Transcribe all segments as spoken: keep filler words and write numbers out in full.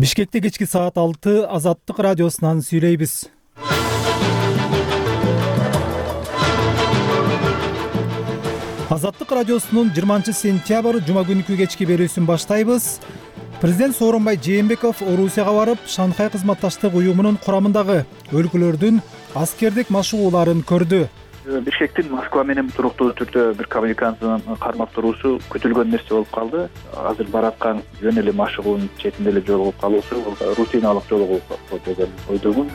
Бишкекте кечки саат алты Азаттык радиосунан сүйлөйбүз. Азаттык радиосунун жыйырманчы сентябрь жума күнкү кечки берүүсүн баштайбыз. Президент Сооронбай Жээнбеков Орусияга барып, Шанхай кызматташтык уюмунун курамындагы өлкөлөрдүн аскердик машыгууларын көрдү. Бишкектин Москва менен туруктуу түрдө бир коммуникациянын кармап туруусу күтүлгөн нерсе болуп калды. Азыр бараткан жөн эле машыгуунун четинде эле жолугуп калуусу бул рутиналык жолугуп калат деген ойдомун.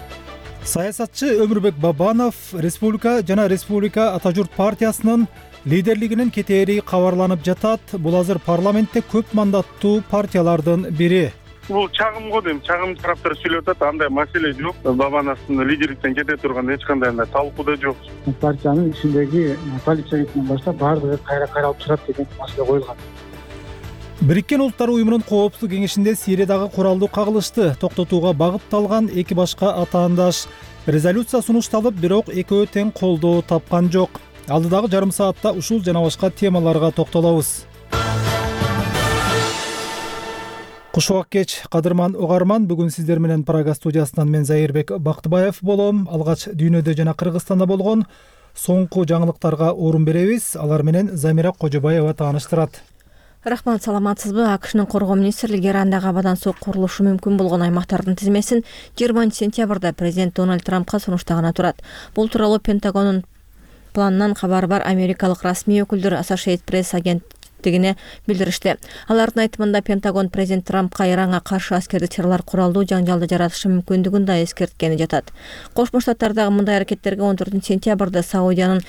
Саясатчы Өмүрбек Бабанов Республика жана Республика Ата журт партиясынын лидерлигинин кетери кабарланып жатат. Бул азыр парламентте көп мандаттуу партиялардын бири. Бул чагым го дейм, чагым тараптар сүйлөп атат, андай маселе жок. Бабановдун лидерликтен кете турган эч кандай андай талкуу да жок. Партиянын ичиндеги полиция башында баштап баардыгы кайра каралып чыгат деген маселе коюлган. Бириккен Улуттар уюмунун коопсуздук кеңешинде Сириядагы куралдуу кагылышты токтотууга багытталган эки башка атаандаш резолюция сунушталып, бирок экөө тең колдоо тапкан жок. Алдыдагы жарым саатта ушул жана башка темаларга токтолобуз. Кушубак кеч, кадырман угарман, бүгүн сиздер менен Прага студиясынан мен Зайырбек Бактыбаев болом. Алгач дүйнөдө жана Кыргызстанда болгон соңку жаңылыктарга орун беребиз. Алар менен Замира Кожобаева тааныштырат. Рахмат, саламатсызбы? АКШнын коргоо министрлиги Ирандагы абадан суу курулушу мүмкүн болгон аймактардын тизмесин жыйырманчы сентябрда президент Дональд Трампка сунуштаганы турат. Бул тууралуу Пентагонун планынан кабары бар америкалык расмий өкүлдөр Associated Press агенттигине билдиришти. Алардын айтымында Пентагон президент Трампка Иранга каршы аскердик чаралар куралдуу жаңжалды жаратышы мүмкүндүгүн да эскерткени жатат. Кошмо Штаттардагы мындай аракеттерге он төртүнчү сентябрда Саудиянын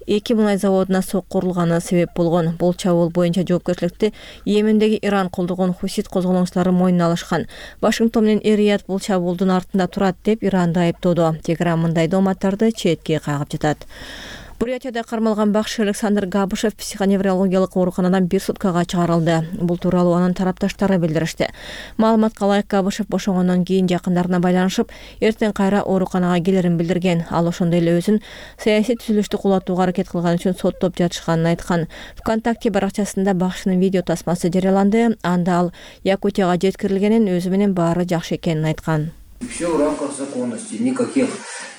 эки мунай заводуна соо курулганы себеп болгон. Бул чабуул боюнча жоопкерчиликти Йемендеги Иран колдогон хусит козголоңчулары мойнуна алышкан. Вашингтон менен Эр-Рияд бул чабуулдун артында турат деп Иранды айыптоодо. Тегеран мындай дооматтарды четке кагып жатат. Бурятияда кармалган бакчы Александр Габышев психоневрологиялык ооруканадан бир суткага чыгарылды. Бул тууралуу анын тарапташтары билдиришти. Маалыматка ылайык, Габышев бошогондон кийин жакындарына байланышып, эртең кайра ооруканага келерин билдирген. Ал ошондой эле өзүн саясий түзүлүштү кулатууга аракет кылган үчүн соттоп жатышканын айткан. ВКонтакте баракчасында бакчынын видео тасмасы жарыяланды. Анда ал Якутияга жеткирилгенин, өзү менен баары жакшы экенин айткан. Все в рамках законности, никаких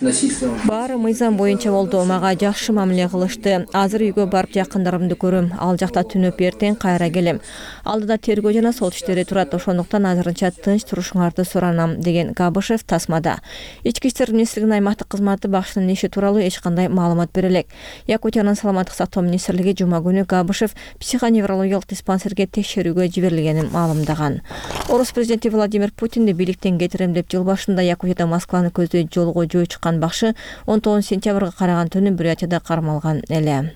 насильств. Баары мыйзам боюнча болду. Мага жакшы мамиле кылышты. Азыр үйгө барып жакындарымды көрөм. Ал жакта түнөп эртең кайра келем. Алдыда тергөө жана сот иштери турат. Ошондуктан азырынча тынч турушуңарды суранам, деген Габышев тасмада. Ички иштер министрлигинин аймактык кызматы бакчынын иши тууралуу эч кандай маалымат бере элек. Якутиянын саламаттык сактоо министрлиги жума күнү Габышев психоневрологиялык диспансерге текшерүүгө жиберилгенин маалымдаган. Орус президенти Владимир Путинди бийликтен кетирем деп жыл башында Якутияда Москваны көздөй жолго жөө чыккан бакчы он тогузунчу сентябрга караган түнү Бурятияда кармалган эле.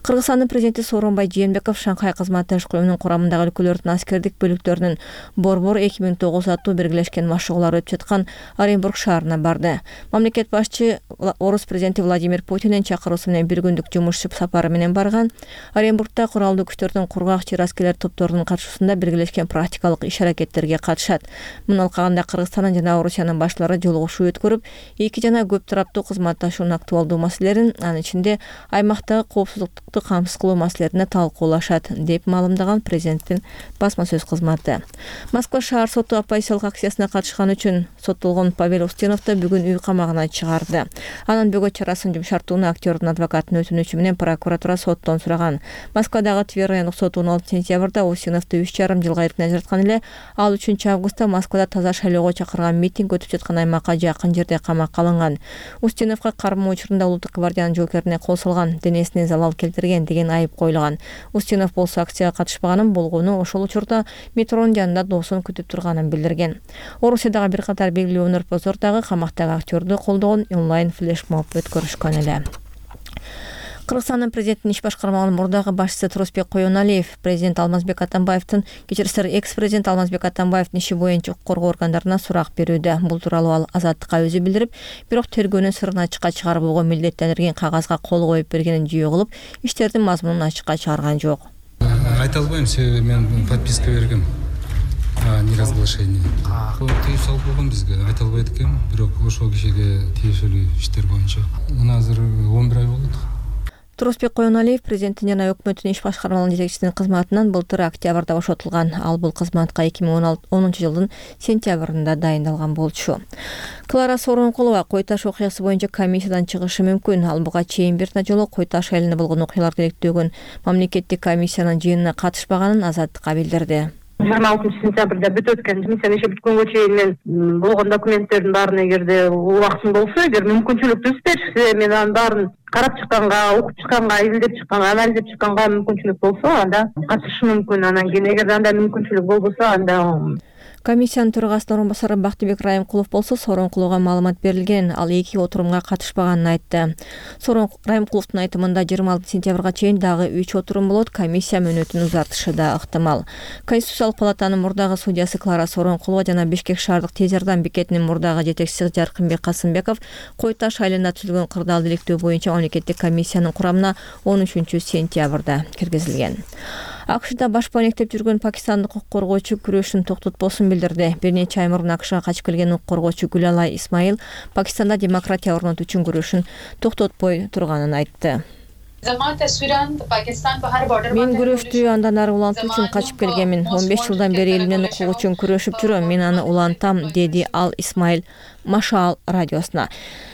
Кыргызстандын президенти Сооронбай Жээнбеков Шанхай кызматташтык уюмунун курамындагы өлкөлөрдүн аскердик бөлүктөрүнүн Борбор эки миң тогуз аттуу биргелешкен машыгуулар өтүп жаткан Оренбург шаарына барды. Мамлекет башчы Орус президенти Владимир Путиндин чакыруусу менен бир күндүк жумуш сапары менен барган. Оренбургда куралдуу күчтөрдүн кургак чир аскерлер топторунун катышуусунда биргелешкен практикалык иш-аракеттерге катышат. Муну алкагында Кыргызстандын жана Орусиянын башлары жолугушуу өткөрүп, эки жана көп тараптуу кызматташуунун актуалдуу маселелерин, анын ичинде аймактагы коопсуздукту камсыз кылуу маселелерине талкуулашат, деп маалымдаган президенттин басма сөз кызматы. Москва шаар соту оппозициялык акциясына катышкан үчүн соттолгон Павел Устиновду бүгүн үй камагына чыгарды. Анын бөгөт чарасын жумшартууну актёрдун адвокатынын өтүнүчү менен прокуратура соттон сураган. Москвадагы Тверь райондук соту он алтынчы сентябрда Устиновду үч жарым жылга эркинден ажыраткан эле. Ал үчүнчү августта Москвада таза шайлоого чакырган митинг өтүп жаткан аймакка жакын жерде камакка алынган. Устиновго кармоо учурунда Улуттук гвардиянын жоокерине кол салган, денесине залал келтирген деген айып коюлган. Устинов болсо акцияга катышпаганын, болгону ошол учурда метронун жанында досун күтүп турганын билдирген. Орусиядагы бир катар белгилүү өнөрпоздор дагы камактагы актёрдү колдогон онлайн флешмоб өткөрүшкөн эле. Кыргызстандын президенттин иш башкармагынын мурдагы башчысы Турусбек Коёналиев президент Алмазбек Атамбаевдин, кечирисиңер экс-президент Алмазбек Атамбаевдин иши боюнча укук коргоо органдарына сурак берүүдө. Бул тууралуу ал Азаттыкка өзү билдирип, бирок тергөөнүн сырын ачыкка чыгарбоого милдеттендирген кагазга кол коюп бергенин жүйө кылып, иштердин мазмунун ачыкка чыгарган жок. Айта албайм, себеби мен подписка бергем. Неразглашение. Тыюу салып койгон бизге, айта албайт экен, бирок ошол кишиге тиешелүү иштер боюнча. Мына азыр он бир ай болот. Турусбек Коеналиев президенттин жана өкмөттүн иш башкармалыгынын жетекчисинин кызматынан былтыр октябрда бошотулган. Ал бул кызматка эки миң онунчу жылдын сентябрында дайындалган болчу. Клара Сооронкулова Кой Таш окуясы боюнча комиссиядан чыгышы мүмкүн. Ал буга чейин бир жолу Кой Таш айылында болгон окуяларды иликтөөгөн мамлекеттик комиссиянын жыйынына катышпаганын Азаттыкка билдирди. жыйырма алтынчы сентябрда бүтүп өткөн комиссия иши бүткөнгө чейин мен болгон документтердин баарын эгерде убактын болсо, эгер мүмкүнчүлүк түзүп мен анын баарын карап чыкканга, окуп чыкканга, изилдеп чыкканга, анализдеп чыкканга мүмкүнчүлүк болсо, анда катышышым мүмкүн. Анан кийин эгерде андай мүмкүнчүлүк болбосо, анда комиссиянын төрагасынын орун басары Бактыбек Райымкулов болсо Сооронкуловго маалымат берилген. Ал эки отурумга катышпаганын айтты. Райымкуловдун айтымында жыйырма алтынчы сентябрга чейин дагы үч отурум болот. Комиссия мөөнөтүн узартышы да ыктымал. Конституциялык палатанын мурдагы судьясы Клара Сооронкулова жана Бишкек шаардык тез жардам бекетинин мурдагы жетекчиси Жаркынбек Касымбеков Кой Таш айылында түзүлгөн кырдаалды иликтөө боюнча мамлекеттик комиссиянын курамына он үчүнчү сентябрда киргизилген. АКШда баш банектеп жүргөн пакистандык укук коргоочу күрөшүн токтотпосун билдирди. Бир нече ай мурун АКШга качып келген укук коргоочу Гүлалай Исмаил Пакистанда демократия орнотуу үчүн күрөшүн токтотпой турганын айтты. Мен күрөштү андан ары улантуу үчүн качып келгенмин. он беш жылдан бери элимдин укугу үчүн күрөшүп жүрөм. Мен аны улантам, деди Ал Исмаил Машал радиосуна.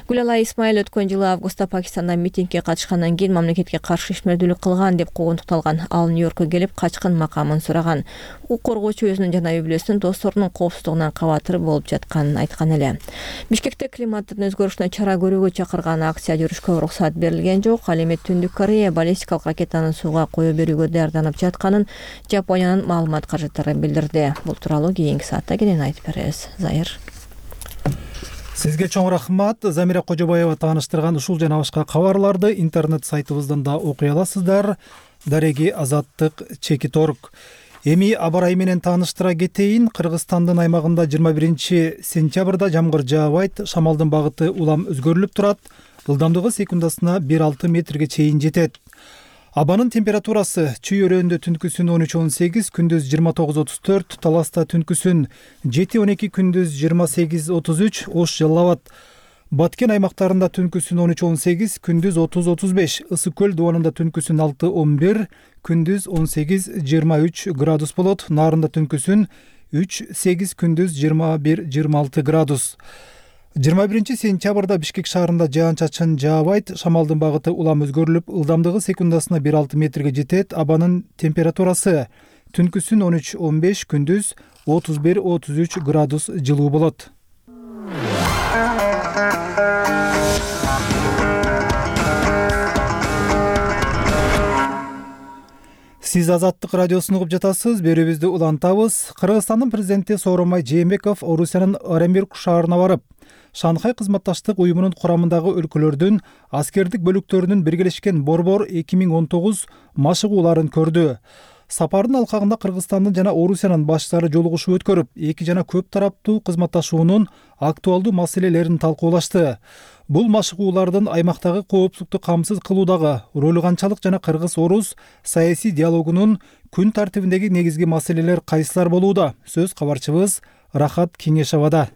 Гүлалай Исмаил өткөн жылы августта Пакистанда митингге катышкандан кийин мамлекетке каршы ишмердүүлүк кылган деп куугунтукталган. Ал Нью-Йоркко келип качкын макамын сураган. Укук коргоочу өзүнүн жана үй бүлөсүнүн досторунун коопсуздугунан кабатыр болуп жатканын айткан эле. Бишкекте климаттын өзгөрүшүнө чара көрүүгө чакырган акция жүрүшкө уруксат берилген жок. Ал эми Түндүк Корея баллистикалык ракетаны сууга кое берүүгө даярданып жатканын Жапониянын маалымат каражаттары билдирди. Бул тууралуу кийинки саатта кенен айтып беребиз. Зайыр. Сизге чоң рахмат. Замира Кожобаева тааныштырган ушул жана башка кабарларды интернет сайтыбыздан да окуй аласыздар. Дареги Азаттык Чекит орг. Эми аба ырайы менен тааныштыра кетейин. Кыргызстандын аймагында жыйырма биринчи сентябрда жамгыр жаабайт, шамалдын багыты улам өзгөрүлүп турат. Ылдамдыгы секундасына бир алты метрге чейин жетет. Абанын температурасы Чүй өрөөндө түнкүсүн он үч он сегиз, күндүз жыйырма тогуз отуз төрт, Таласта түнкүсүн жети он эки, күндүз жыйырма сегиз отуз үч, Ош Жалал Абад. Баткен аймактарында түнкүсүн он үч он сегиз, күндүз отуз отуз беш, Ысык көл дубанында түнкүсүн алты он бир, күндүз он сегиз жыйырма үч градус болот. Нарында түнкүсүн үч сегиз, күндүз жыйырма бир жыйырма алты градус. жыйырма биринчи сентябрда Бишкек шаарында жаан-чачын жаабайт, шамалдын багыты улам өзгөрүлүп, ылдамдыгы секундасына бир алты метрге жетет. Абанын температурасы түнкүсүн он үч он беш, күндүз отуз бир отуз үч градус жылуу болот. Сиз Азаттык радиосун угуп жатасыз, берүүбүздү улантабыз. Кыргызстандын президенти Сооронбай Жээнбеков Орусиянын Оренбург шаарына барып, Шанхай кызматташтык уюмунун курамындагы өлкөлөрдүн аскердик бөлүктөрүнүн биргелешкен борбор эки миң он тогуз машыгууларын көрдү. Сапардын алкагында Кыргызстандын жана Орусиянын башчылары жолугушуу өткөрүп, эки жана көп тараптуу кызматташуунун актуалдуу маселелерин талкуулашты. Бул машыгуулардын аймактагы коопсуздукту камсыз кылуудагы ролу канчалык жана кыргыз-орус саясий диалогунун күн тартибиндеги негизги маселелер кайсылар болууда? Сөз кабарчыбыз Рахат Кеңешовада.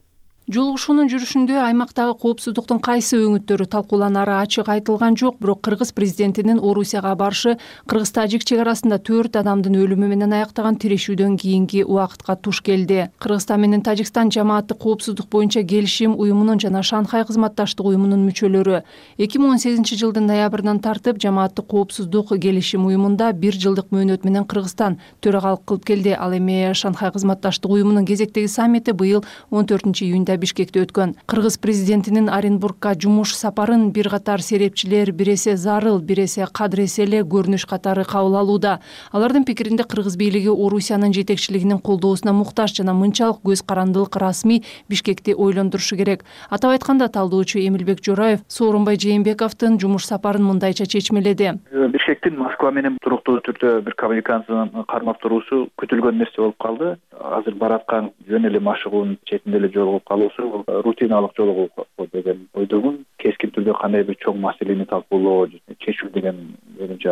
Жолугушуунун жүрүшүндө аймактагы коопсуздуктун кайсы өңүттөрү талкууланары ачык айтылган жок, бирок Кыргыз президентинин Орусияга барышы кыргыз-тажик чек арасында төрт адамдын өлүмү менен аяктаган тирешүүдөн кийинки убакытка туш келди. Кыргызстан менен Тажикстан жамааттык коопсуздук боюнча келишим уюмунун жана Шанхай кызматташтык уюмунун мүчөлөрү. эки миң он сегизинчи жылдын ноябрынан тартып жамааттык коопсуздук келишим уюмунда бир жылдык мөөнөт менен Кыргызстан төрагалык кылып келди. Ал эми Шанхай кызматташтык уюмунун кезектеги саммити быйыл он төртүнчү июнда Бишкекте өткөн. Кыргыз президентинин Оренбургка жумуш сапарын бир катар серепчилер бир эсе зарыл, бир эсе кадыр эсе эле көрүнүш катары кабыл алууда. Алардын пикиринде Кыргыз бийлиги Орусиянын жетекчилигинин колдоосуна муктаж жана мынчалык көз карандылык расмий Бишкекти ойлондурушу керек. Атап айтканда, талдоочу Эмилбек Жораев Сооронбай Жээнбековдун жумуш сапарын мындайча чечмеледи. Бишкектин Москва менен туруктуу түрдө бир коммуникациянын кармап туруусу күтүлгөн нерсе болуп калды. Азыр бараткан жөн эле машыгуунун четинде эле жолугуп калуусу рутиналык жолугуп деген ойдомун. Кескин түрдө кандай бир чоң маселени талкуулоо, чечүү деген менимче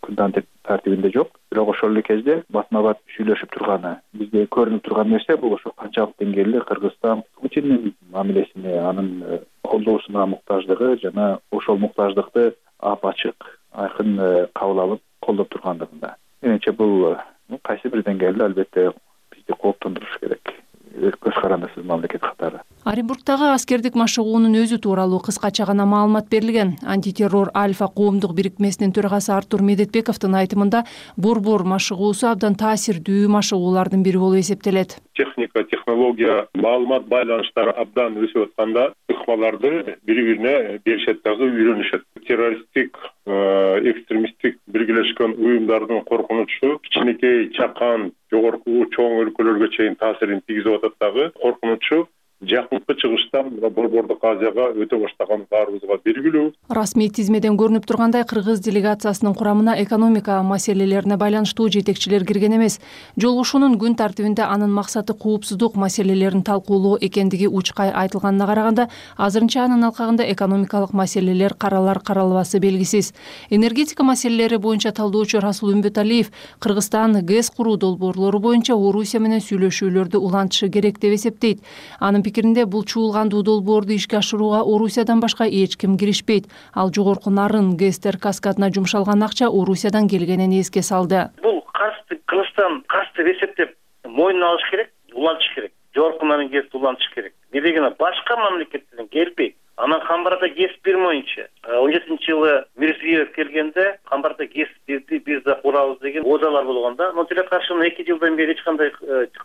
күн тартибинде жок. Бирок ошол эле кезде батма бат сүйлөшүп турганы, бизге көрүнүп турган нерсе бул ошо канчалык деңгээлде Кыргызстан Путиндин мамилесине, анын колдоосуна муктаждыгы жана ошол муктаждыкты ап-ачык айкын кабыл алып колдоп тургандыгында. Менимче бул кайсы бир деңгээлде албетте бизди кооптондуруш керек. Көз карандысыз мамлекет катары. Оренбургдагы аскердик машыгуунун өзү тууралуу кыскача гана маалымат берилген. Антитеррор Альфа коомдук бирикмесинин төрагасы Артур Медетбековдун айтымында борбор машыгуусу абдан таасирдүү машыгуулардын бири болуп эсептелет. Техника, технология, маалымат байланыштары абдан өсүп атканда ыкмаларды бири-бирине беришет дагы үйрөнүшөт. Террористтик, экстремисттик биргелешкен уюмдардын коркунучу кичинекей, чакан, жогорку чоң өлкөлөргө чейин таасирин тийгизип атат дагы. Коркунучу жакынкы чыгыштан борбордук Азияга өтө баштаган баарыбызга белгилүү. Расмий тизмеден көрүнүп тургандай, кыргыз делегациясынын курамына экономика маселелерине байланыштуу жетекчилер кирген эмес. Жолугушуунун күн тартибинде анын максаты коопсуздук маселелерин талкуулоо экендиги учкай айтылганына караганда, азырынча анын алкагында экономикалык маселелер каралар каралбасы белгисиз. Энергетика маселелери боюнча талдоочу Расул Үмбөталиев Кыргызстан ГЭС куруу долбоорлору боюнча Орусия менен сүйлөшүүлөрдү улантышы керек деп эсептейт. Анын пикиринде бул чуулгандуу долбоорду ишке ашырууга Орусиядан башка эч ким киришпейт. Ал жогорку нарын ГЭСтер каскадына жумшалган акча Орусиядан келгенин эске салды. Бул карызды Кыргызстан карыз деп эсептеп мойнуна алыш керек, улантыш керек. Жогорку нарын ГЭСти улантыш керек. Не дегенде башка мамлекеттерден келбейт. Анан Камбарда ГЭС бермөйүнчө он жетинчи жылы Мирзиёев келгенде Камбарда ГЭС бирди, биз да курабыз деген оозалар болгондо, но тилекке каршы эки жылдан бери эч кандай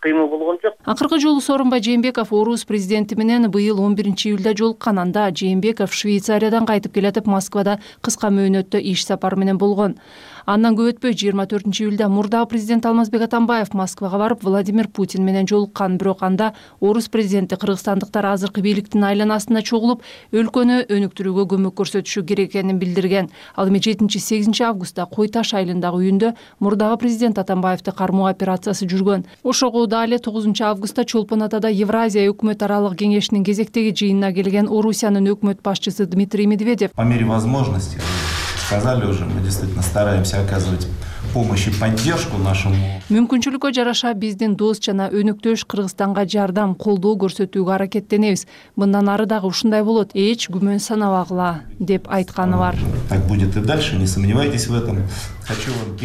кыймыл болгон жок. Акыркы жолу Сооронбай Жээнбеков Орус президенти менен быйыл он биринчи июлда жолуккан. Анда Жээнбеков Швейцариядан кайтып келатып Москвада кыска мөөнөттө иш сапары менен болгон. Андан көп өтпөй жыйырма төртүнчү июлда мурдагы президент Алмазбек Атамбаев Москвага барып Владимир Путин менен жолуккан. Бирок анда Орус президенти кыргызстандыктар азыркы бийликтин айланасында чогулуп, өлкөнү өнүктүрүүгө көмөк көрсөтүшү керек экенин билдирген. Ал эми жетинчи сегизинчи августта Кой Таш айылындагы үйүндө мурдагы президент Атамбаевди кармоо операциясы жүргөн. Ошого дагы эле тогузунчу августта Чолпон Атада Евразия өкмөт аралык кеңешинин кезектеги жыйынына келген Орусиянын өкмөт башчысы Дмитрий Медведев по мере возможности, сказали уже, мы действительно стараемся оказывать помощь и поддержку нашему. Мүмкүнчүлүккө жараша биздин дос жана өнөктөш Кыргызстанга жардам, колдоо көрсөтүүгө аракеттенебиз. Мындан ары дагы ушундай болот, эч күмөн санабагыла, деп айтканы бар. Так будет и дальше, не сомневайтесь в этом.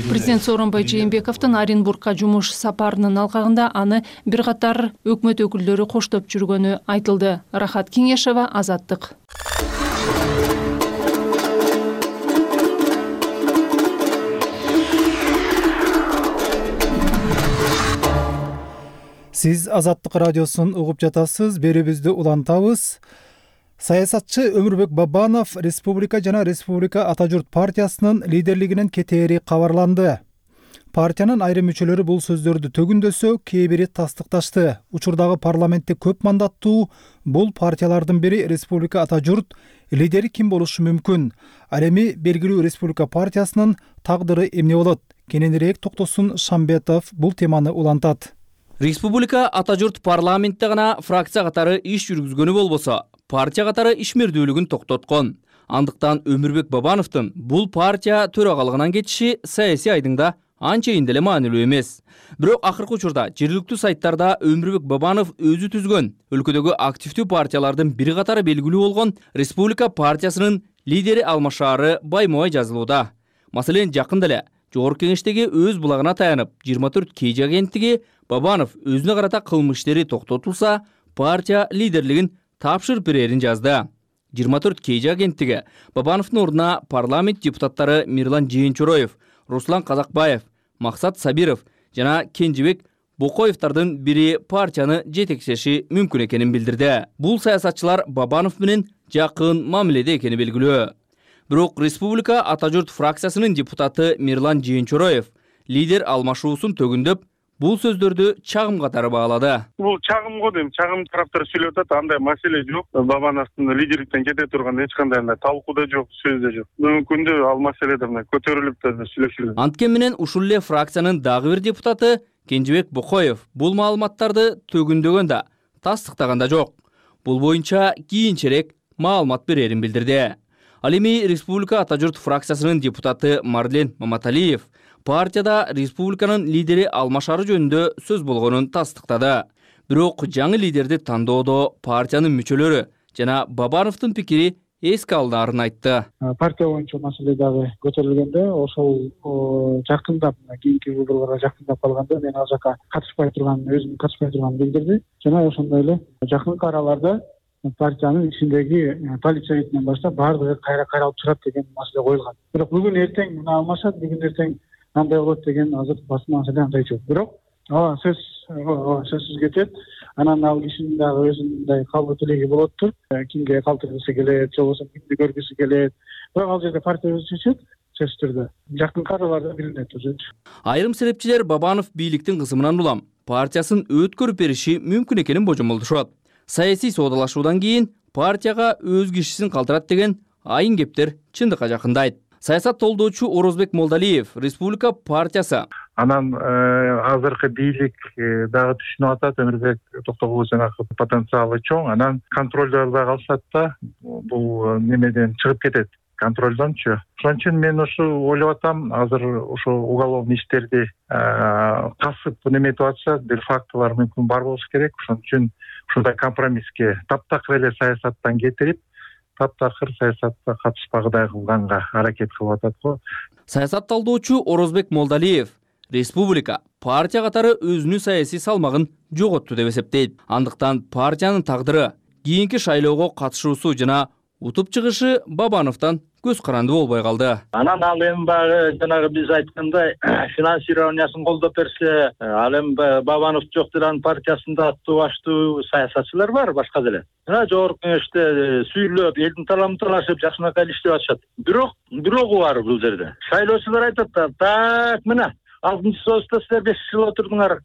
Президент Сооронбай Жээнбековдун Оренбургка жумуш сапарынын алкагында аны бир катар өкмөт өкүлдөрү коштоп жүргөнү айтылды. Рахат Кеңешева, Азаттык. Сиз Азаттык радиосун угуп жатасыз. Берүүбүздү улантабыз. Саясатчы Өмүрбек Бабанов Республика жана Республика Ата журт партиясынын лидерлигинен кетери кабарланды. Партиянын айрым мүчөлөрү бул сөздөрдү төгүндөсө, кээ бири тастыкташты. Учурдагы парламентте көп мандаттуу бул партиялардын бири Республика Ата журт лидери ким болушу мүмкүн? Ал эми белгилүү Республика партиясынын тагдыры эмне болот? Кененирээк токтосун Шамбетов бул теманы улантат. Республика Ата журт парламентте гана фракция катары иш жүргүзгөнү болбосо, партия катары ишмердүүлүгүн токтоткон. Андыктан Өмүрбек Бабановдун бул партия төрагалыгынан кетиши саясий айдыңда анчейин деле маанилүү эмес. Бирок акыркы учурда жергиликтүү сайттарда Өмүрбек Бабанов өзү түзгөн өлкөдөгү активдүү партиялардын бир катары белгилүү болгон Республика партиясынын лидери алмашаары байма-бай жазылууда. Маселен, жакында эле Жогорку кеңештеги өз булагына таянып, жыйырма төрт кей жи агенттиги Бабанов өзүнө карата кылмыш иштери токтотулса, партия лидерлигин тапшырып берерин жазды. жыйырма төрт кей жи агенттиги Бабановдун ордуна парламент депутаттары Мирлан Жээнчороев, Руслан Казакбаев, Максат Сабиров жана Кенжебек Бокоевдардын бири партияны жетекчеши мүмкүн экенин билдирди. Бул саясатчылар Бабанов менен жакын мамиледе экени белгилүү. Бирок Республика Ата журт фракциясынын депутаты Мирлан Жээнчороев лидер алмашуусун төгүндөп, бул сөздөрдү чагым катары баалады. Бул чагым го дейм, чагым тараптар сүйлөп атат, андай маселе жок. Бабановдун лидерликтен кете турган эч кандай талкуу да жок, сөз да жок. Бүгүнкү күндө ал маселеде көтөрүлүп да сүйлөшүлөт. Анткени менен ушул эле фракциянын дагы бир депутаты Кенжебек Бокоев бул маалыматтарды төгүндөгөн да, тастыктаган да жок. Бул боюнча кийинчерээк маалымат берерин билдирди. Ал эми Республика Ата журт фракциясынын депутаты Марлен Маматалиев партияда республиканын лидери алмашары жөнүндө сөз болгонун тастыктады. Бирок жаңы лидерди тандоодо партиянын мүчөлөрү жана Бабановдун пикири эске алдаарын айтты. Партия боюнча маселе дагы көтөрүлгөндө ошол жакындап кийинки выборлорго жакындап калганда мен ал жака катышпай турган өзүм катышпай турганымды билдирди жана ошондой эле жакынкы араларда партиянын ичиндеги полиция советинен баштап баардыгы кайра каралып чыгат деген маселе коюлган. Бирок бүгүн эртең муну алмашат, бүгүн эртең андай болот деген азыр басма маселе андай жок. Бирок ооба сөз сөзсүз кетет. Анан ал кишинин дагы өзүнүн калгуу тилеги болоттур. Кимге калтыргысы келет, же болбосо кимди көргүсү келет. Бирок ал жерде партия өзү чечет, сөзсүз түрдө. Жакынкы араларда билинет уже. Айрым себепчилер Бабанов бийликтин кысымынан улам партиясын өткөрүп бериши мүмкүн экенин божомолдошот. Саясий соодалашуудан кийин партияга өз кишисин калтырат деген айын кептер чындыкка жакындайт. Саясат толдоочу Орозбек Молдалиев Республика партиясы анан азыркы бийлик дагы түшүнүп атат, Өмүрбек Токтогуловдун потенциалы чоң, анан контролдор да калышат да бул немеден чыгып кетет, контролдончу. Ошон үчүн мен ушу ойлоп атам, азыр ошо уголовный иштерди касып неметип атса, бир фактылар мүмкүн бар болуш керек. Ошон үчүн ушундай компромисске таптакыр эле саясаттан кетирип, таптакыр саясатка катышпагыдай кылганга аракет кылып атат го. Саясат талдоочу Орозбек Молдалиев Республика партия катары өзүнүн саясий салмагын жоготту деп эсептейт. Андыктан партиянын тагдыры, кийинки шайлоого катышуусу жана утуп чыгышы Бабановдон көз каранды болбой калды. Анан ал эми баягы жанагы биз айткандай финансированиясын колдоп берсе, ал эми Бабанов жок деле партиясында аттуу баштуу саясатчылар бар, башка деле. Жана жогорку кеңеште сүйлөп, элдин таламын талашып, жакшынакай иштеп атышат. Бирок, бирогу бар бул жерде. Шайлоочулар айтат да, так мына алтынчы союзда силер беш жыл отурдуңар,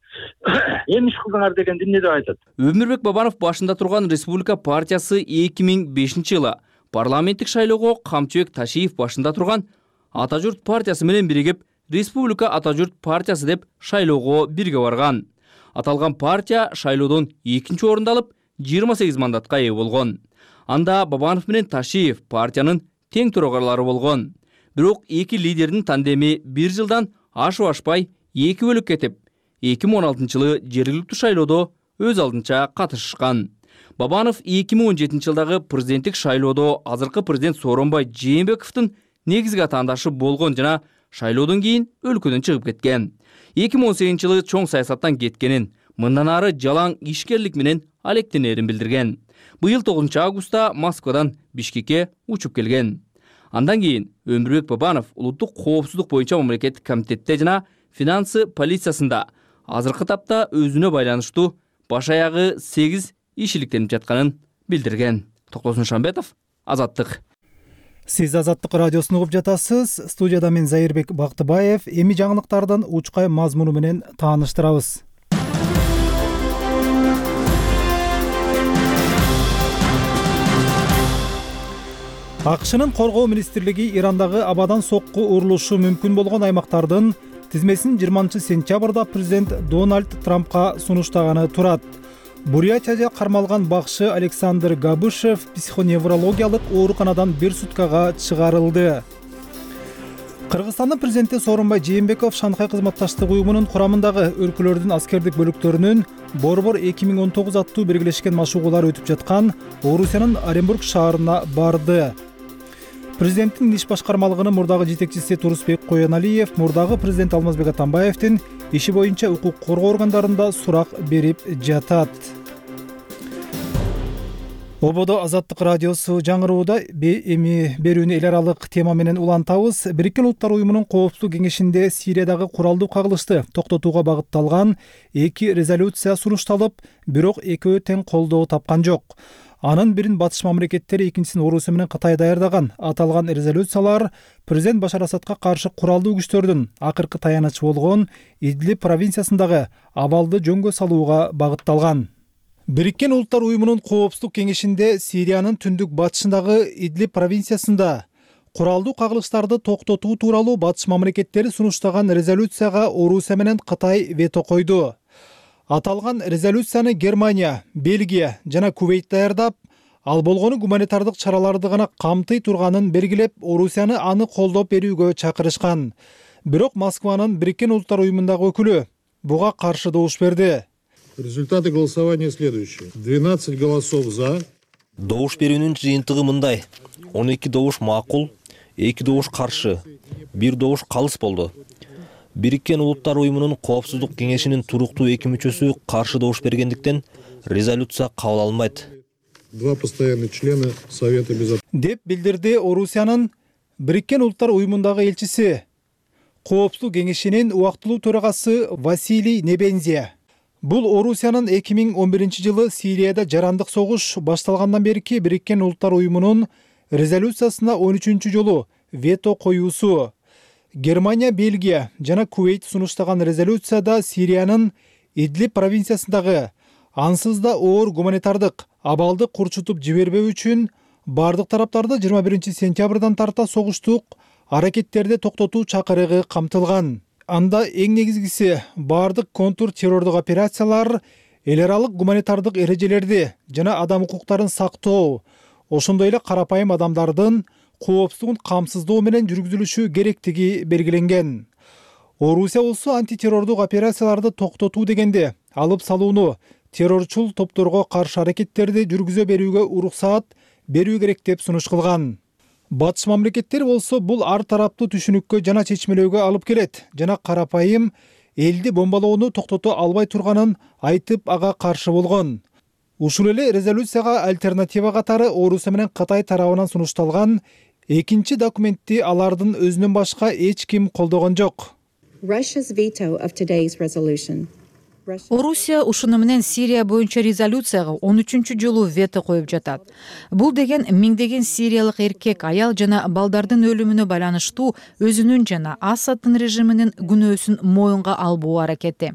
эми иш кылдыңар деген эмне деп айтат. Өмүрбек Бабанов башында турган Республика партиясы эки миң бешинчи жылы парламенттик шайлоого Камчыбек Ташиев башында турган Ата журт партиясы менен биригип Республика Ата журт партиясы деп шайлоого бирге барган. Аталган партия шайлоодон экинчи орунду алып, жыйырма сегиз мандатка ээ болгон. Анда Бабанов менен Ташиев партиянын тең төрагарлары болгон. Бирок эки лидердин тандеми бир жылдан ашып ашпай эки бөлүк кетип, эки миң он алтынчы жылы жергиликтүү шайлоодо өз алдынча катышышкан. Бабанов эки миң он жетинчи жылдагы президенттик шайлоодо азыркы президент Сооронбай Жээнбековдун негизги атаандашы болгон жана шайлоодон кийин өлкөдөн чыгып кеткен. эки миң он сегизинчи жылы чоң саясаттан кеткенин, мындан ары жалаң ишкерлик менен алектенерин билдирген. Быйыл тогузунчу августта Москвадан Бишкекке учуп келген. Андан кийин Өмүрбек Бабанов улуттук коопсуздук боюнча мамлекеттик комитетте жана финансы полициясында азыркы тапта өзүнө байланыштуу баш аягы сегиз иш иликтенип жатканын билдирген. Токтосун Шамбетов, Азаттык. Сиз Азаттык радиосун угуп жатасыз. Студияда мен Зайырбек Бактыбаев. Эми жаңылыктардын учкай мазмуну менен тааныштырабыз. АКШнын коргоо министрлиги Ирандагы абадан сокку урулушу мүмкүн болгон аймактардын тизмесин жыйырманчы сентябрда президент Дональд Трампка сунуштаганы турат. Бурятияда кармалган бакшы Александр Габышев психоневрологиялык ооруканадан бир суткага чыгарылды. Кыргызстандын президенти Сооронбай Жээнбеков Шанхай кызматташтык уюмунун курамындагы өлкөлөрдүн аскердик бөлүктөрүнүн Борбор эки миң он тогуз аттуу биргелешкен машыгуулар өтүп жаткан Орусиянын Оренбург шаарына барды. Президенттин иш башкармалыгынын мурдагы жетекчиси Турусбек Коеналиев мурдагы президент Алмазбек Атамбаевдин иши боюнча укук коргоо органдарында сурак берип жатат. Ободо Азаттык радиосу жаңырууда эми берүүнү эл аралык тема менен улантабыз. Бириккен Улуттар уюмунун коопсуздук кеңешинде Сириядагы куралдуу кагылышты токтотууга багытталган эки резолюция сунушталып, бирок экөө тең колдоо тапкан жок. Анын бирин батыш мамлекеттери, экинчисин Орусия менен Кытай даярдаган. Аталган резолюциялар президент Башар Асадка каршы куралдуу күчтөрдүн акыркы таянычы болгон Идлиб провинциясындагы абалды жөнгө салууга багытталган. Бириккен Улуттар уюмунун коопсуздук кеңешинде Сириянын түндүк батышындагы Идлиб провинциясында куралдуу кагылыштарды токтотуу тууралуу батыш мамлекеттери сунуштаган резолюцияга Орусия менен Кытай вето койду. Аталган резолюцияны Германия, Бельгия жана Кувейт даярдап, ал болгону гуманитардык чараларды гана камтый турганын белгилеп, Орусияны аны колдоп берүүгө чакырышкан. Бирок Москванын Бириккен Улуттар уюмундагы өкүлү буга каршы добуш берди. Результаты голосования следующие. двенадцать голосов за, Добуш берүүнүн жыйынтыгы мындай: он эки добуш макул, эки добуш каршы, бир добуш калыс болду. Бириккен Улуттар уюмунун Коопсуздук кеңешинин туруктуу эки мүчөсү каршы добуш бергендиктен резолюция кабыл алынбайт. Два постоянных члена Совета Безопасности. Деп билдирди Орусиянын Бириккен Улуттар уюмундагы элчиси, Коопсуздук кеңешинин убактылуу төрагасы Василий Небензия. Бул Орусиянын эки миң он биринчи жылы Сирияда жарандык согуш башталгандан берки Бириккен Улуттар уюмунун резолюциясына он үчүнчү жолу вето коюусу. Германия, Бельгия жана Кувейт сунуштаган резолюцияда Сириянын Идлиб провинциясындагы ансыз да оор гуманитардык абалды курчутуп жибербөө үчүн бардык тараптарды жыйырма биринчи сентябрдан тарта согуштук аракеттерди токтотуу чакырыгы камтылган. Анда эң негизгиси бардык контур террордук операциялар, эл аралык гуманитардык эрежелерди жана адам укуктарын сактоо, ошондой эле карапайым адамдардын коопсуздугун камсыздоо менен жүргүзүлүшү керектиги белгиленген. Орусия болсо антитеррордук операцияларды токтотуу дегенде алып салууну, террорчул топторго каршы аракеттерди жүргүзө берүүгө уруксаат берүү керек деп сунуш кылган. Батыш мамлекеттер болсо бул ар тараптуу түшүнүккө жана чечмелөөгө алып келет жана карапайым элди бомбалоону токтото албай турганын айтып ага каршы болгон. Ушул эле резолюцияга альтернатива катары Орусия менен Кытай тарабынан сунушталган экинчи документти алардын өзүнөн башка эч ким колдогон жок. Орусия ушуну менен Сирия боюнча резолюцияга он үчүнчү жолу вето коюп жатат. Бул деген миңдеген сириялык эркек, аял жана балдардын өлүмүнө байланыштуу өзүнүн жана Асаддын режиминин күнөөсүн моюнга албоо аракети.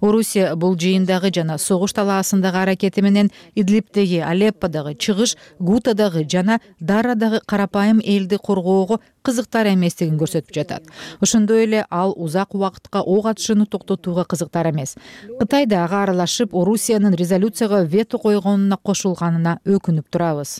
Орусия бул жыйындагы жана согуш талаасындагы аракети менен Идлибдеги, Алепподагы, Чыгыш Гутадагы жана Дарадагы карапайым элди коргоого кызыктар эместигин көрсөтүп жатат. Ошондой эле ал узак убакытка ок атышууну токтотууга кызыктар эмес. Кытай да ага аралашып, Орусиянын резолюцияга вето койгонуна кошулганына өкүнүп турабыз.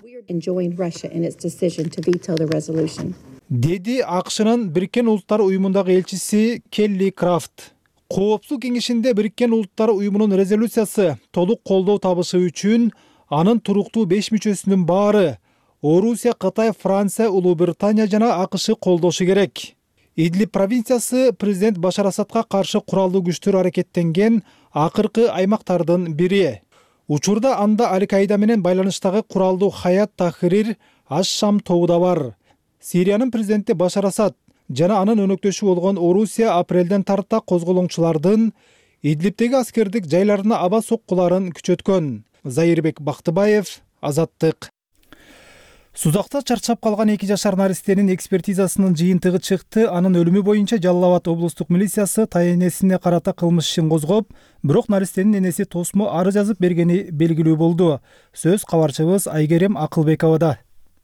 Деди АКШнын Бириккен Улуттар уюмундагы элчиси Келли Крафт. Коопсуздук кеңешинде Бириккен Улуттар уюмунун резолюциясы толук колдоо табышы үчүн анын туруктуу беш мүчөсүнүн баары Орусия, Кытай, Франция, Улуу Британия жана АКШ колдошу керек. Идлиб провинциясы президент Башар Асадка каршы куралдуу күчтөр аракеттенген акыркы аймактардын бири. Учурда анда Аль-Каида менен байланыштагы куралдуу Хаят Тахрир Аш-Шам тобу да бар. Сириянын президенти Башар Асад жана анын өнөктөшү болгон Орусия апрелден тарта козголоңчулардын Идлибдеги аскердик жайларына аба соккуларын күчөткөн. Зайырбек Бактыбаев, Азаттык. Сузакта чарчап калган эки жашар наристенин экспертизасынын жыйынтыгы чыкты. Анын өлүмү боюнча Жалал Абад облустук милициясы тайенесине карата кылмыш ишин козгоп, бирок наристенин энеси тосмо арыз жазып бергени белгилүү болду. Сөз кабарчыбыз Айгерим Акылбековада.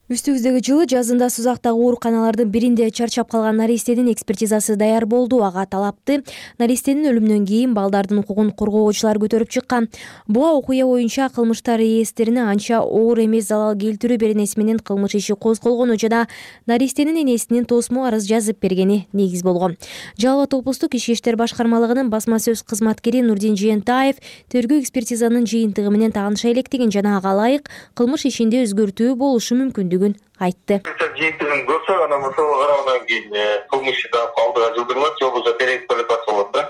Үстүбүздөгү жылы жазында Сузактагы ооруканалардын биринде чарчап калган наристенин экспертизасы даяр болду. Ага талапты наристенин өлүмүнөн кийин балдардын укугун коргоочулар көтөрүп чыккан. Буга окуя боюнча кылмыштар реестрине анча оор эмес залал келтирүү беренеси менен кылмыш иши козголгону жана наристенин энесинин тосмо арыз жазып бергени негиз болгон. Жалал Абад облустук ички иштер башкармалыгынын басма сөз кызматкери Нурдин Жыентаев тергөө экспертизанын жыйынтыгы менен тааныша электигин жана ага ылайык кылмыш ишинде өзгөртүү болушу мүмкүндүгүн айтты. Жыйынтыгын көрсөк, анан ошого карагандан кийин кылмыш иши алдыга жылдырылат, же болбосо тереңип барат болот да.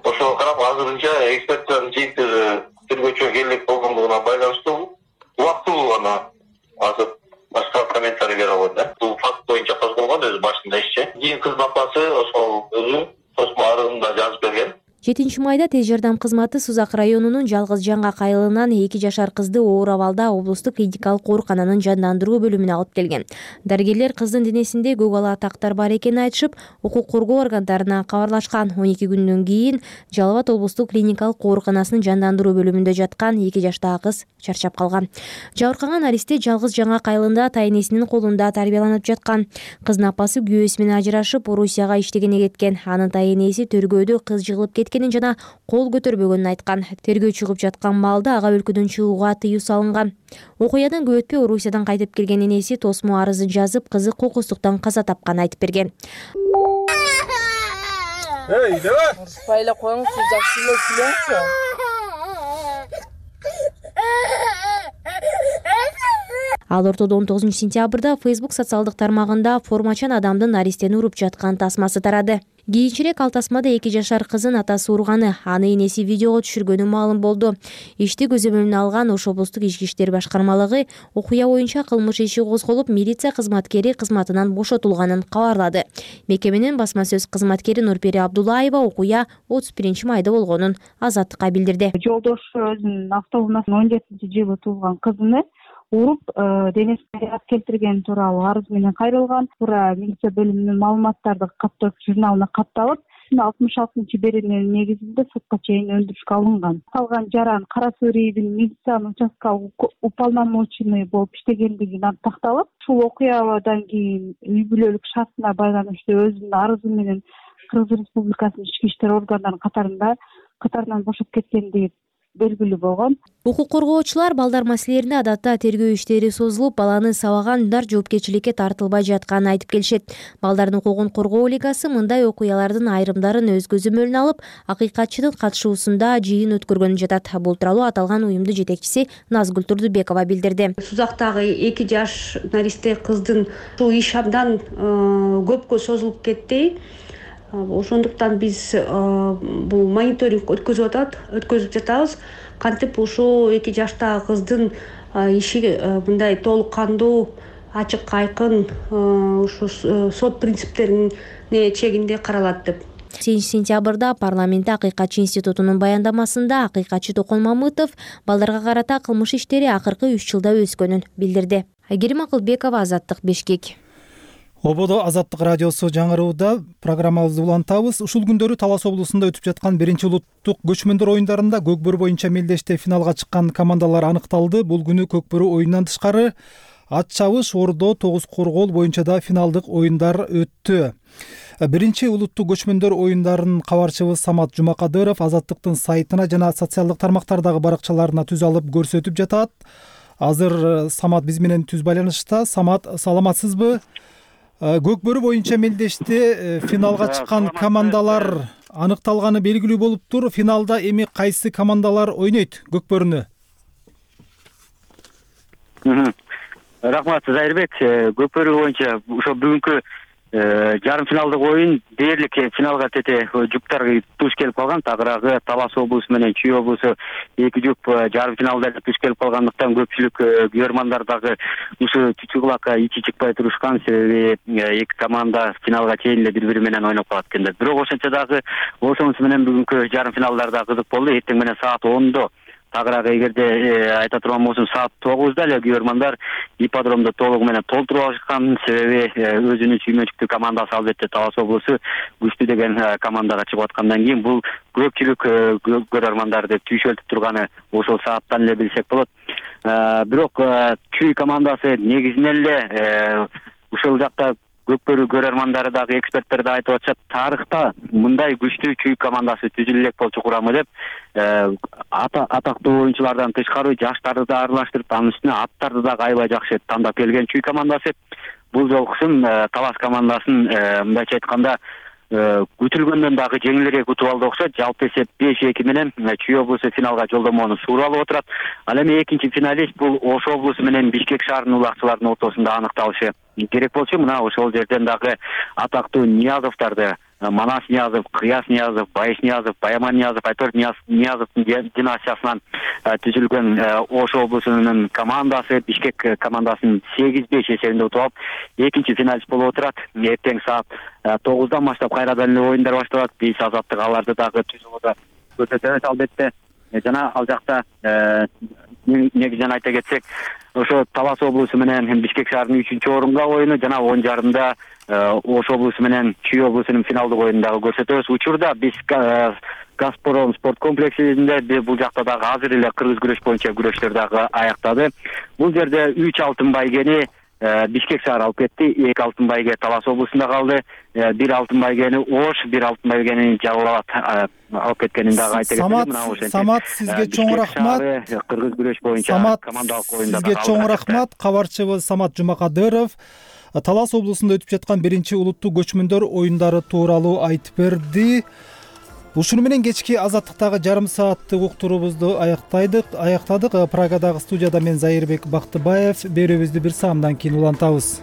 Ошого карап азырынча экспертизанын жыйынтыгы тергөөчүгө келек болгондугуна байланыштуу убактылуу гана азыр башка комментарий бере албайт да. Бул факт боюнча козголгон өзү башында ишчи. Кийин кыздын апасы ошол өзү тосмо арызында жазып берген. жетинчи майда тез жардам кызматы Сузак районунун Жалгыз Жаңга кайылынан эки жашар кызды оор абалда облустук клиникалык оорукананын жандандыруу бөлүмүнө алып келген. Дарыгерлер кыздын денесинде көк ала тактар бар экенин айтышып, укук коргоо органдарына кабарлашкан. он эки күндөн кийин Жалал Абад облустук клиникалык ооруканасынын жандандыруу бөлүмүндө жаткан эки жаштагы кыз чарчап калган. Жабыркаган наристе Жалгыз Жаңга кайылында тайенесинин колунда тарбияланып жаткан. Кыздын апасы күйөөсү менен ажырашып, Орусияга иштегене кеткен. Анын тайенеси төргөөдө кыз жыгылып кеткенин жана кол көтөрбөгөнүн айткан. Тергөө чыгып жаткан маалда ага өлкөдөн чыгууга тыюу салынган. Окуядан көп өтпөй Орусиядан кайтып келген энеси тосмо арызын жазып, кызы кокустуктан каза тапканын айтып берген. Эй, давай. Спайлап коюңуз, жакшы эле сүйлөңүзчү. Ал ортодо он тогузунчу сентябрда Facebook социалдык тармагында формачан адамдын наристени уруп жаткан тасмасы тарады. Кийинчерээк ал тасмада эки жашар кызын атасы урганы, аны энеси видеого түшүргөнү маалым болду. Ишти көзөмөлүнө алган Ош облустук ички иштер башкармалыгы окуя боюнча кылмыш иши козголуп, милиция кызматкери кызматынан бошотулганын кабарлады. Мекеменин басма сөз кызматкери Нурпери Абдуллаева окуя отуз биринчи майда болгонун Азаттыкка билдирди. Жолдошу өзүнүн автоунасынын он жетинчи жылы туулган кызыны уруп, денесине жаракат келтиргени тууралуу арыз менен кайрылган. Туура милиция бөлүмүнүн маалыматтарды каттоо журналына катталып, алтымыш алтынчы берененин негизинде сотко чейин өндүрүшкө алынган. Калган жаран Кара Суу районунун милициянын участкалык уполномоченный болуп иштегендиги такталып, ушул окуядан кийин үй бүлөлүк шартына байланыштуу өзүнүн арызы менен Кыргыз Республикасынын ички иштер органдарынын катарында катарынан бошоп кеткендиги белгилүү болгон. Укук коргоочулар балдар маселелерине адатта тергөө иштери созулуп, баланы сабаган ундар жоопкерчиликке тартылбай жатканын айтып келишет. Балдардын укугун коргоо лигасы мындай окуялардын айрымдарын өз көзөмөлүнө алып, акыйкатчынын катышуусунда жыйын өткөргөнү жатат. Бул тууралуу аталган уюмдун жетекчиси Назгүл Турдубекова билдирди. Сузактагы эки жаш наристе кыздын ушул иш абдан көпкө созулуп кетти. Ошондуктан биз бул мониторинг өткөзүп атат, өткөзүп жатабыз. Кантип ушул эки жаштагы кыздын иши мындай толук кандуу, ачык айкын ушу сот принциптерине чегинде каралат деп. сегизинчи сентябрда парламентте Акыйкатчы институтунун баяндамасында акыйкатчы Токон Мамытов балдарга карата кылмыш иштери акыркы үч жылда өскөнүн билдирди. Айгерим Акылбекова, Азаттык, Бишкек. Ободо Азаттык радиосу жаңырууда программабызды улантабыз. Ушул күндөрү Талас облусунда өтүп жаткан биринчи улуттук көчмөндөр оюндарында көкбөрү боюнча мелдеште финалга чыккан командалар аныкталды. Бул күнү көкбөрү оюнунан тышкары ат чабыш, ордо, тогуз коргоол боюнча да финалдык оюндар өттү. Биринчи улуттук көчмөндөр оюндарынын кабарчыбыз Самат Жумакадыров Азаттыктын сайтына жана социалдык тармактардагы баракчаларына түз алып көрсөтүп жатат. Азыр Самат биз менен түз байланышта. Самат, саламатсызбы? Көкбөрү боюнча мелдеште финалга чыккан командалар аныкталганы белгилүү болуптур. Финалда эми кайсы командалар ойнойт көкбөрүнү? Рахмат, Зайырбек. Көкбөрү боюнча ошо бүгүнкү жарым финалдык оюн дээрлик финалга тете жуптар туш келип калган. Тагыраагы Талас облусу менен Чүй облусу эки жуп жарым финалда туш келип калгандыктан көпчүлүк көрөрмандар дагы ушу чүчү кулакка ичи чыкпай турушкан. Себеби эки команда финалга чейин эле бири бири менен ойноп калат экендер. Бирок ошентсе дагы ошонусу менен бүгүнкү жарым финалдар да кызык болду. Эртең менен саат ондо Тагыраагы эгерде айта турган болсом саат тогузда эле көрөрмандар ипподромду толугу менен толтуруп алышкан. Себеби өзүнүн сүймөнчүктүү командасы албетте Талас облусу күчтүү деген командага чыгып аткандан кийин бул көпчүлүк көрөрмандарды түйшөлтүп турганы ошол сааттан эле билсек болот. Бирок Чүй командасы негизинен эле ушул жакта көкбөрү көрөрмандары дагы эксперттер да айтып атышат, тарыхта мындай күчтүү Чүй командасы түзүлө элек болчу курамы деп. Атактуу оюнчулардан тышкары жаштарды да аралаштырып, анын үстүнө аттарды дагы аябай жакшы тандап келген Чүй командасы. Бул жолкусун Талас командасын мындайча айтканда күтүлгөндөн дагы жеңилирээк утуп алды окшойт. Жалпы эсеп беш эки менен Чүй облусу финалга жолдомону суура алып отурат. Ал эми экинчи финалист бул Ош облусу менен Бишкек шаарынын улакчыларынын ортосунда аныкталышы керек болчу. Мына ошол жерден дагы атактуу Ниязовдарды, Манас Ниязов, Кыяс Ниязов, Байыш Ниязов, Баяман Ниязов, Айтор Ниязовдун династиясынан түзүлгөн Ош облусунун командасы Бишкек командасын сегиз беш эсебинде утуп алып экинчи финалист болуп отурат. Эртең саат тогуздан баштап кайрадан эле оюндар башталат. Биз Азаттык аларды дагы түз алып көрсөтөбүз албетте. Жана ал жакта негизинен айта кетсек, ошо Талас облусу менен Бишкек шаарынын үчүнчү орунга оюну жана он жарымда Ош облусу менен Чүй облусунун финалдык оюнун дагы көрсөтөбүз. Учурда биз Газпром спорт комплексинде бул жакта дагы азыр эле кыргыз күрөш боюнча күрөштөр дагы аяктады. Бул жерде үч алтын байгени Бишкек шаары алып кетти, эки алтын байге Талас облусунда калды, бир алтын байгени Ош, бир алтын байгени Жалал Абад алып кеткенин дагы айта кетели. Самат, сизге чоң рахмат. Кыргыз күрөш боюнча командалык оюнда сизге чоң рахмат. Кабарчыбыз Самат Жумакадыров Талас облусунда өтүп жаткан биринчи улуттук көчмөндөр оюндары тууралуу айтып берди. Ушуну менен кечки азаттыктагы жарым сааттык уктуруубузду аяктайдык аяктадык. Прагадагы студияда мен Зайырбек Бактыбаев. Берүүбүздү бир саамдан кийин улантабыз.